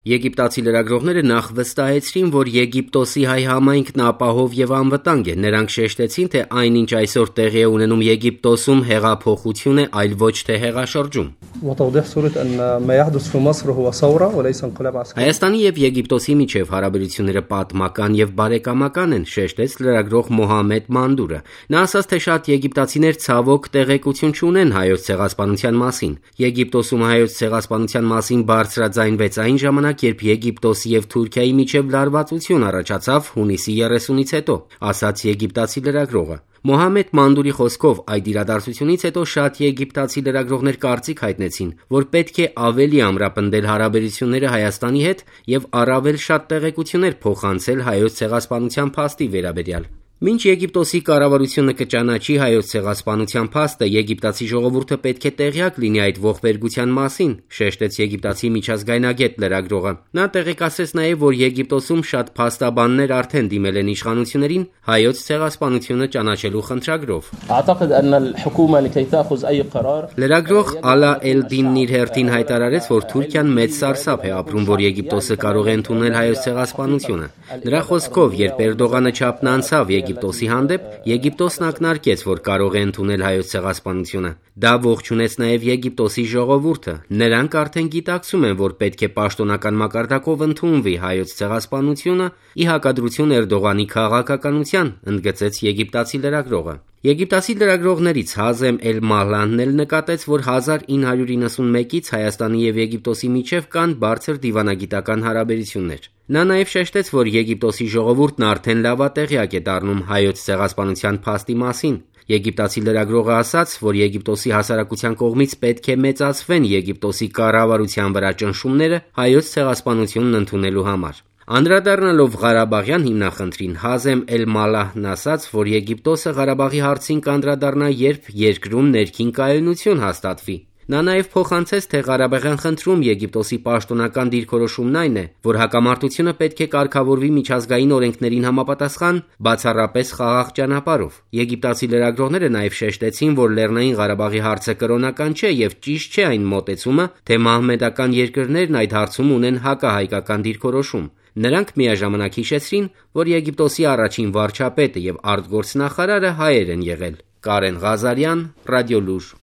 Եգիպտացի լրագրողները նախ վստահեցրին, որ Եգիպտոսի հայ համայնքն ապահով եւ անվտանգ է։ Նրանք շեշտեցին, թե այնինչ այսօր տեղի է ունենում Եգիպտոսում հեղափոխություն է, այլ ոչ թե հեղաշրջում։ Հայաստանի եւ Եգիպտոսի միջև հարաբերությունները պատմական եւ բարեկամական են, շեշտեց լրագրող Մոհամեդ Մանդուրը։ Նա ասաց, թե շատ եգիպտացիներ ցավոք տեղեկություն չունեն հայոց ցեղասպանության մասին։ Եգիպտոսում հայոց ցեղասպանության մասին բարձրաձայնվեց այն ժամանակ, երբ Եգիպտոսի եւ Թուրքիայի միջև լարվածություն առաջացավ հունիսի 30-ից հետո, ասաց եգիպտացի լրագրողը։ Մոհամեդ Մանդուրի խոսքով այդ իրադարձությունից հետո շատ եգիպտացի լրագրողներ կարծիք հայտնեցին, որ պետք է ավելի ամրապնդել հարաբերությունները Հայաստանի հետ եւ առավել շատ տեղեկություններ փոխանցել հայոց ցեղասպանության փաստի վերաբերյալ։ Մինչ Եգիպտոսի կառավարությունը կճանաչի հայոց ցեղասպանության փաստը, եգիպտացի ժողովուրդը պետք է տեղյակ լինի այդ ողբերգության մասին, շեշտեց եգիպտացի միջազգայնագետ լրագրողը։ Նա տեղեկացրեց նաև, որ Եգիպտոսում շատ փաստաբաններ արդեն դիմել են իշխանություններին հայոց ցեղասպանությունը ճանաչելու խնդրագրով։ Լրագրող Ալա Էլդինն իր հերթին հայտարարեց, որ Թուրքիան մեծ սարսափ է ապրում, որ Եգիպտոսը կարող է ընդունել հայոց ցեղասպանությունը։ Նրա խոսքով, երբ Էրդողանը չափն անցավ Եգիպտոսի հանդեպ, Եգիպտոսն ակնարկեց, որ կարող է ընդունել հայոց ցեղասպանությունը։ Դա ողջունեց նաև Եգիպտոսի ժողովուրդը։ Նրանք արդեն գիտակցում են, որ պետք է պաշտոնական մակարդակով ընդունվի հայոց ցեղասպանությունը ի հակադրություն Էրդողանի քաղաքականության, ընդգծեց եգիպտացի լրագրողը։ Եգիպտացի լրագրողներից Հազեմ Էլ-Մահլանն էլ նկատեց, որ 1991-ից Հայաստանի եւ Եգիպտոսի միջև կան բարձր դիվանագիտական հարաբերություններ։ Նա նաև շեշտեց, որ Եգիպտոսի ժողովուրդն արդեն լավատեղյակ է դառնում հայոց ցեղասպանության փաստի մասին։ Եգիպտացի լրագրողը ասաց, որ Եգիպտոսի հասարակության կողմից պետք է մեծացվեն Եգիպտոսի կառավարության վրա ճնշումները հայոց ցեղասպանությունն ընդունելու համար։ Անդրադառնալով Ղարաբաղյան հիմնախնդրին, Հազեմ Էլ-Մալահն ասաց, որ Եգիպտոսը Ղարաբաղի հարցին կանդրադառնա, երբ երկրում ներքին կայունություն հաստատվի։ Նա նաև փոխանցեց, թե Ղարաբաղյան խնդրում Եգիպտոսի պաշտոնական դիրքորոշումն այն է, որ հակամարտությունը պետք է կարգավորվի միջազգային օրենքներին համապատասխան, բացառապես խաղաղ ճանապարհով։ Եգիպտացի լրագրողները նաև շեշտեցին, որ Լեռնային Ղարաբաղի հարցը կրոնական չէ եւ ճիշտ չէ այն մոտեցումը, թե մահմեդական երկրներն այդ հարցում ունեն հակահայկական դիրքորոշում։ Նրանք միաժամանակ հիշեցրին, որ Եգիպտոսի առաջին վարչապետը եւ արտգործնախարարը հայեր են եղել։ Կարեն Ղազարյան, Ռադիոլուր։